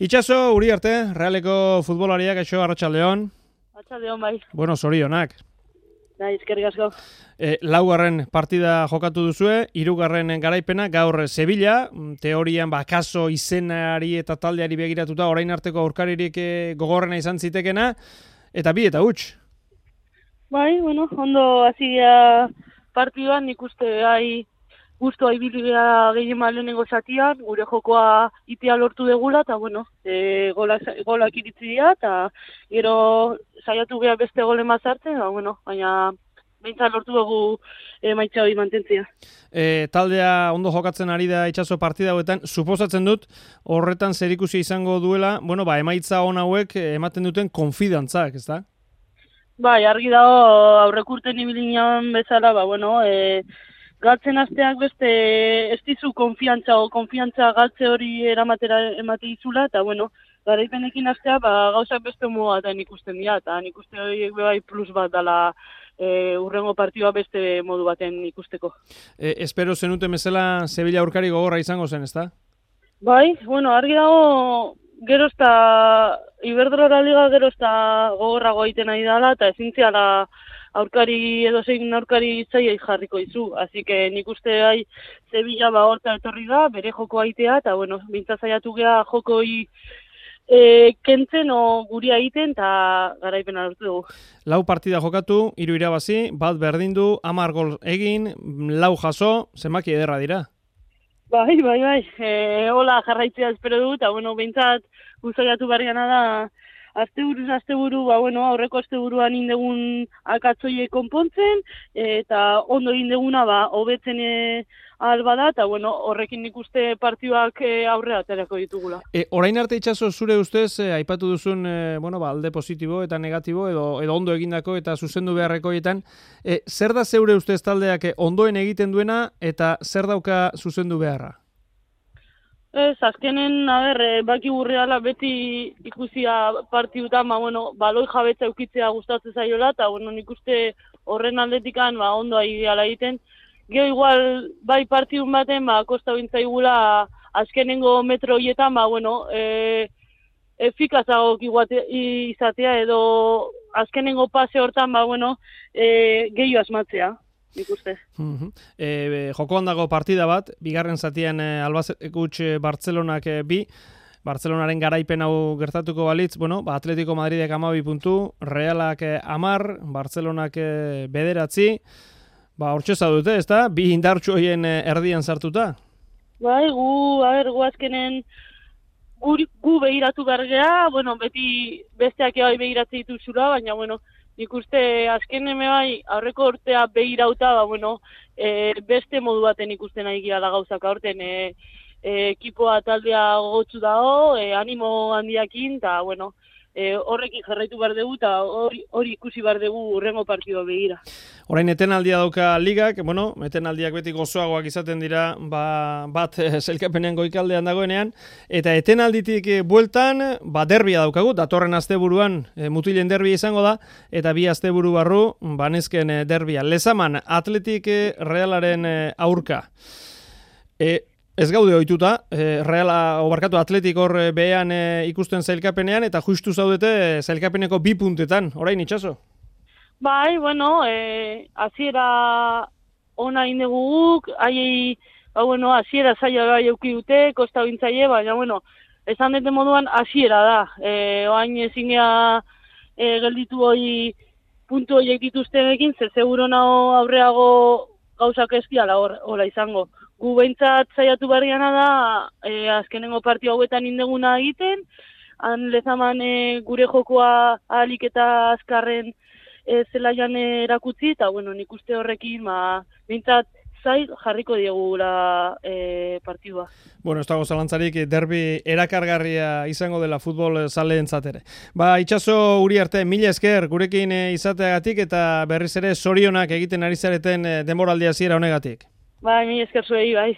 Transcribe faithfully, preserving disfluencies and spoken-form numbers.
Itxaso, Uriarte, Realeko futbolariak, eixo, Arratsaldeon. Arratsaldeon bai. Bueno, zorionak. Bai, eskerrik asko. E, laugarren partida jokatu duzue, hirugarren garaipena, gaur Sevilla, teorian bakaso izenari eta taldeari begiratuta, orain arteko aurkaririk gogorrena izan zitekena, eta bi eta huts. Bai, bueno, ondo hasia partiduan, nik uste gai guztua ibilbidea gehien lehenengo zatian, gure jokoa itea lortu degula, eta bueno, e, gola, golak iritzi dira, eta gero saiatu geha beste gole mazartzen, ba, bueno, baina behintzat lortu dugu emaitza hori mantentzia. E, taldea ondo jokatzen ari da Itxaso partida hauetan, suposatzen dut horretan zerikusi izango duela, bueno, ba, emaitza on hauek ematen duten konfidantzak, ez da? Bai, argi dago aurrekurten ibilinean bezala, ba, bueno, e, galtzen asteak beste ez dizu konfiantza o konfiantza galtze hori eramatera emate izula, eta bueno, garaipenekin astea ba, gauzak beste modu batean ikusten dira, eta nik uste horiek bai plus bat dela e, urrengo partidua beste modu baten ikusteko. E, espero zenuten bezala Sevilla aurkari gogorra izango zen, ezta? Bai, bueno, argi dago gero ezta Iberdrola Liga gero ezta gogorrago egiten ari dela, eta ezin ziala aurkari edo zein aurkari zaiai jarriko izu. Así que nik uste gai Sevilla ba horta etorri da, bere joko aitea, eta bueno, bintza zaiatu geha jokoi e, kentzen o guria egiten, eta garaipena lortu dugu. Lau partida jokatu, hiru irabazi, bat berdindu, hamar gol egin, lau jaso, zenbaki ederra dira. Bai, bai, bai, e, hola jarraitzea espero du, eta bueno, bintzat guzaiatu barriana da, Asteburuz, asteburu, ba, bueno, aurreko asteburuan indegun akatzoie konpontzen, eta ondo indeguna, ba, hobetzen e, alba da, eta, bueno, horrekin nik uste partioak e, aurrera aterako ditugula. E, orain arte Itxaso zure ustez, e, aipatu duzun, e, bueno, ba, alde positibo eta negatibo, edo, edo ondo egindako eta zuzendu beharrekoietan, e, zer da zeure ustez taldeak ondoen egiten duena, eta zer dauka zuzendu beharra? Ez, azkenen, a ber, baki burreala beti ikusia partidutan, ba, bueno, baloi jabetza eukitzea gustatzen zaiola, eta, bueno, nik uste horren aldetikan, ba, ondo ideala egiten. Gero igual, bai partidun baten, ba, kosta bintzaigula azkenengo metro horietan, ba, bueno, e, efikazagok izatea, edo azkenengo pase hortan, ba, bueno, e, gehiu asmatzea. Nik uste. Uh-huh. E, jokoan dago partida bat, bigarren zatian e, Albacete Bartzelonak e, bi, Bartzelonaren garaipen hau gertatuko balitz, bueno, ba, Atletico Madridek hamabi puntu, Realak e, hamar, Bartzelonak e, bederatzi, ba, hortxe zaudute, ez da? Bi indartxu horien e, erdian sartuta? Bai, gu, a ber, gu azkenen gu, gu behiratu bergea, bueno, beti besteak bai behiratzen dituzula, baina, bueno, nik uste azken eme bai aurreko urtea behirauta, ba, bueno, e, beste modu baten ikusten nahi gira da gauzak aurten, e, e, ekipoa taldea gogotsu dago, e, animo handiakin, eta, bueno, e, horrekin jarraitu behar dugu, eta hori, hori ikusi behar dugu urrengo partidua begira. Orain etenaldia dauka ligak, bueno, etenaldiak beti gozoagoak izaten dira, ba, bat sailkapenean goikaldean dagoenean, eta etenalditik bueltan, ba, derbia daukagu, datorren asteburuan e, mutilen derbia izango da, eta bi asteburu barru, banezken e, derbia. Lezaman, Atletik e, Realaren e, aurka. E, Ez gaude ohituta, e, Reala obarkatu Atletik hor e, behean e, ikusten zailkapenean, eta justu zaudete zailkapeneko bi puntetan, orain Itxaso? Bai, bueno, e, aziera ona indeguguk, haiei, ba, bueno, aziera zaila bai euki dute, kosta bintzaile, baina, bueno, esan dute moduan aziera da. E, oain ezin gea e, gelditu hori puntu horiek dituztenekin, ze seguro nago aurreago gauzak ez diala hola izango. Gu behintzat zaiatu barriana da, e, azkenengo partio hauetan indeguna egiten, han Lezaman e, gure jokoa ahalik eta azkarren e, zelaian erakutzi, eta bueno, nik uste horrekin, ba, behintzat zai jarriko diegula e, partidua. Bueno, ez dago zalantzarik, derbi erakargarria izango dela futbol zaleentzat ere. Ba, Itxaso Uriarte, mila esker gurekin izateagatik eta berriz ere zorionak egiten ari zareten denboraldi hasiera honegatik. Bai, mila esker zuei, bai.